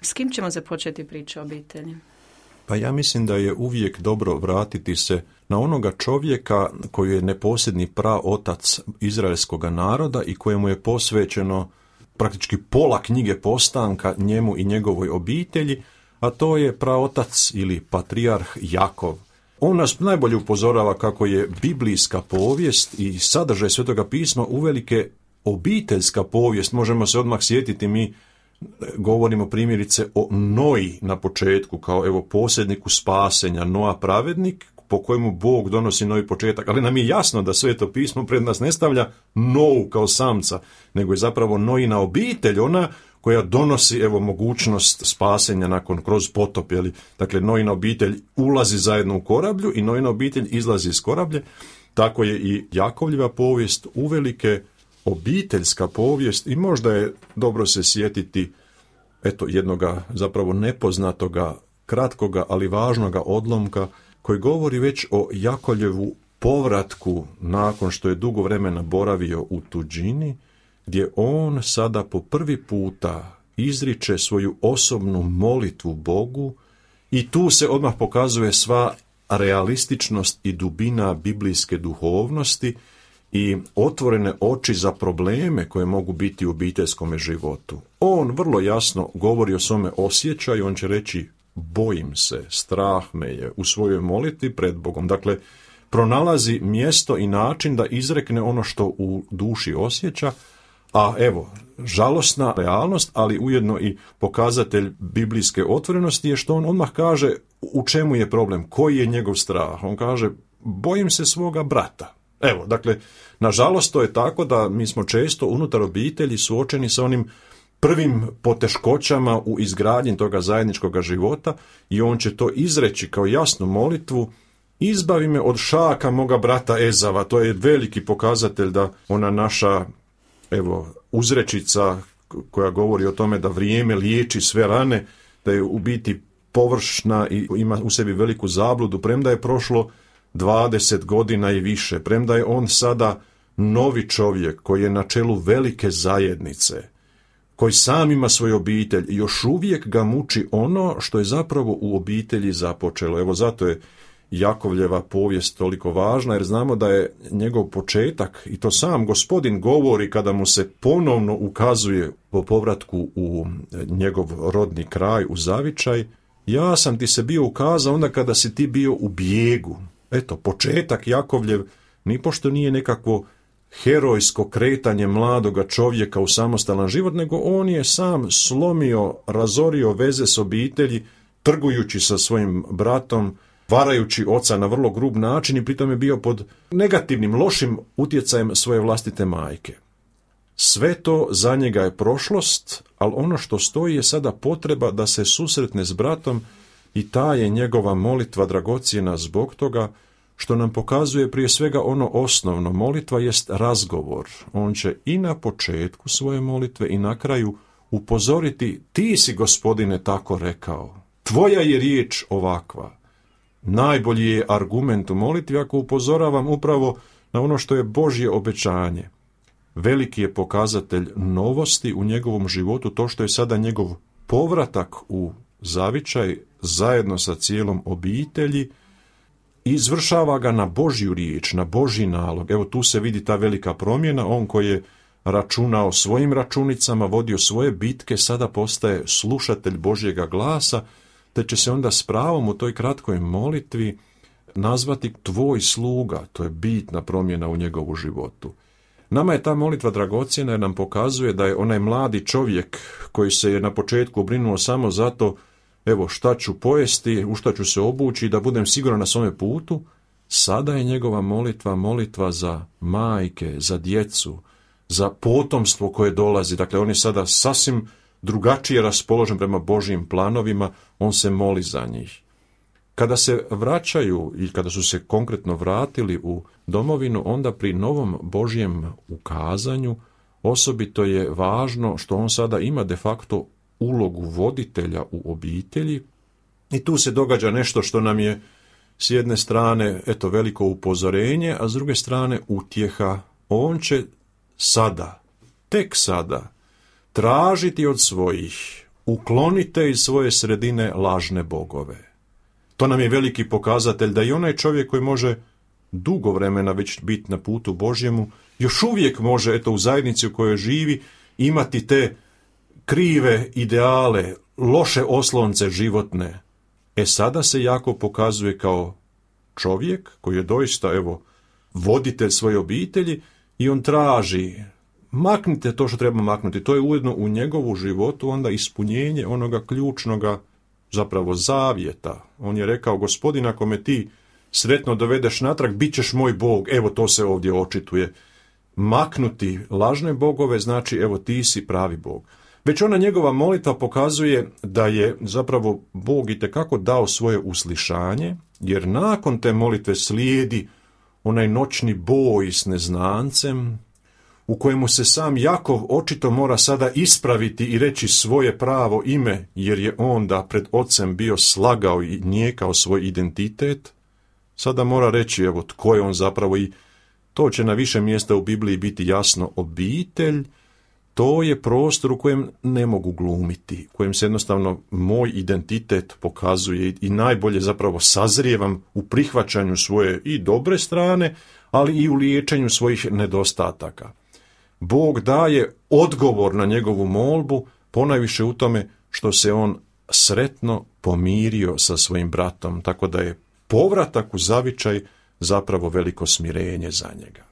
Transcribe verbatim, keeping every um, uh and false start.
S kim ćemo započeti priču o obitelji? Pa ja mislim da je uvijek dobro vratiti se na onoga čovjeka koji je neposredni praotac izraelskog naroda i kojemu je posvećeno praktički pola knjige Postanka njemu i njegovoj obitelji, a to je praotac ili patrijarh Jakov. On nas najbolje upozorava kako je biblijska povijest i sadržaj Svetoga pisma uvelike obiteljska povijest. Možemo se odmah sjetiti, mi govorimo primjerice o Noji na početku, kao evo posjedniku spasenja, Noa pravednik, po kojemu Bog donosi novi početak, ali nam je jasno da Sveto pismo pred nas ne stavlja Novu kao samca, nego je zapravo Nojina obitelj, ona koja donosi evo mogućnost spasenja nakon kroz potop, jeli? Dakle, Nojina obitelj ulazi zajedno u korablju i Nojina obitelj izlazi iz korablje. Tako je i Jakovljeva povijest uvelike obiteljska povijest i možda je dobro se sjetiti eto jednoga zapravo nepoznatoga, kratkoga, ali važnoga odlomka koji govori već o Jakovljevu povratku nakon što je dugo vremena boravio u tuđini, gdje on sada po prvi puta izriče svoju osobnu molitvu Bogu i tu se odmah pokazuje sva realističnost i dubina biblijske duhovnosti i otvorene oči za probleme koje mogu biti u obiteljskom životu. On vrlo jasno govori o svome osjećaju, on će reći bojim se, strah me je u svojoj molitvi pred Bogom. Dakle, pronalazi mjesto i način da izrekne ono što u duši osjeća, a evo, žalosna realnost, ali ujedno i pokazatelj biblijske otvorenosti je što on odmah kaže u čemu je problem, koji je njegov strah. On kaže, bojim se svoga brata. Evo, dakle, nažalost to je tako da mi smo često unutar obitelji suočeni sa onim prvim poteškoćama u izgradnji toga zajedničkog života i on će to izreći kao jasnu molitvu, izbavi me od šaka moga brata Ezava. To je veliki pokazatelj da ona naša evo uzrečica koja govori o tome da vrijeme liječi sve rane, da je u biti površna i ima u sebi veliku zabludu, premda je prošlo dvadeset godina i više, premda je on sada novi čovjek koji je na čelu velike zajednice, koji sam ima svoju obitelj i još uvijek ga muči ono što je zapravo u obitelji započelo. Evo zato je Jakovljeva povijest toliko važna, jer znamo da je njegov početak, i to sam Gospodin govori kada mu se ponovno ukazuje po povratku u njegov rodni kraj, u zavičaj, ja sam ti se bio ukazao onda kada si ti bio u bijegu. Eto, početak Jakovljev nipošto nije nekakvo herojsko kretanje mladoga čovjeka u samostalan život, nego on je sam slomio, razorio veze s obitelji, trgujući sa svojim bratom, varajući oca na vrlo grub način i pritom je bio pod negativnim, lošim utjecajem svoje vlastite majke. Sve to za njega je prošlost, ali ono što stoji je sada potreba da se susretne s bratom i ta je njegova molitva dragocjena zbog toga što nam pokazuje prije svega ono osnovno. Molitva jest razgovor. On će i na početku svoje molitve i na kraju upozoriti, ti si, Gospodine, tako rekao. Tvoja je riječ ovakva. Najbolji je argument u molitvi ako upozoravam upravo na ono što je Božje obećanje. Veliki je pokazatelj novosti u njegovom životu to što je sada njegov povratak u zavičaj zajedno sa cijelom obitelji i izvršava ga na Božju riječ, na Božji nalog. Evo tu se vidi ta velika promjena. On koji je računao svojim računicama, vodio svoje bitke, sada postaje slušatelj Božjega glasa, te će se onda s pravom u toj kratkoj molitvi nazvati tvoj sluga. To je bitna promjena u njegovu životu. Nama je ta molitva dragocjena jer nam pokazuje da je onaj mladi čovjek koji se je na početku brinuo samo zato evo šta ću pojesti, u šta ću se obući i da budem siguran na svome putu, sada je njegova molitva molitva za majke, za djecu, za potomstvo koje dolazi. Dakle, on je sada sasvim drugačije raspoložen prema Božjim planovima, on se moli za njih. Kada se vraćaju i kada su se konkretno vratili u domovinu, onda pri novom Božjem ukazanju osobito je važno što on sada ima de facto ulogu voditelja u obitelji i tu se događa nešto što nam je s jedne strane eto veliko upozorenje, a s druge strane utjeha. On će sada, tek sada, tražiti od svojih uklonite iz svoje sredine lažne bogove. To nam je veliki pokazatelj da i onaj čovjek koji može dugo vremena već biti na putu Božjemu, još uvijek može, eto, u zajednici u kojoj živi, imati te krive ideale, loše oslonce životne. E sada se jako pokazuje kao čovjek koji je doista, evo, voditelj svoje obitelji i on traži, maknite to što treba maknuti. To je ujedno u njegovu životu onda ispunjenje onoga ključnoga zapravo zavjeta. On je rekao, Gospodin, ako me ti sretno dovedeš natrag, bit ćeš moj Bog. Evo, to se ovdje očituje. Maknuti lažne bogove znači, evo, ti si pravi Bog. Već ona njegova molitva pokazuje da je zapravo Bog itekako dao svoje uslišanje, jer nakon te molitve slijedi onaj noćni boj s neznancem, u kojemu se sam Jakov očito mora sada ispraviti i reći svoje pravo ime, jer je onda pred ocem bio slagao i nijekao svoj identitet. Sada mora reći, evo, tko je on zapravo, i to će na više mjesta u Bibliji biti jasno. Obitelj, to je prostor u kojem ne mogu glumiti, u kojem se jednostavno moj identitet pokazuje i najbolje zapravo sazrijevam u prihvaćanju svoje i dobre strane, ali i u liječenju svojih nedostataka. Bog daje odgovor na njegovu molbu, ponajviše u tome što se on sretno pomirio sa svojim bratom, tako da je povratak u zavičaj zapravo veliko smirenje za njega.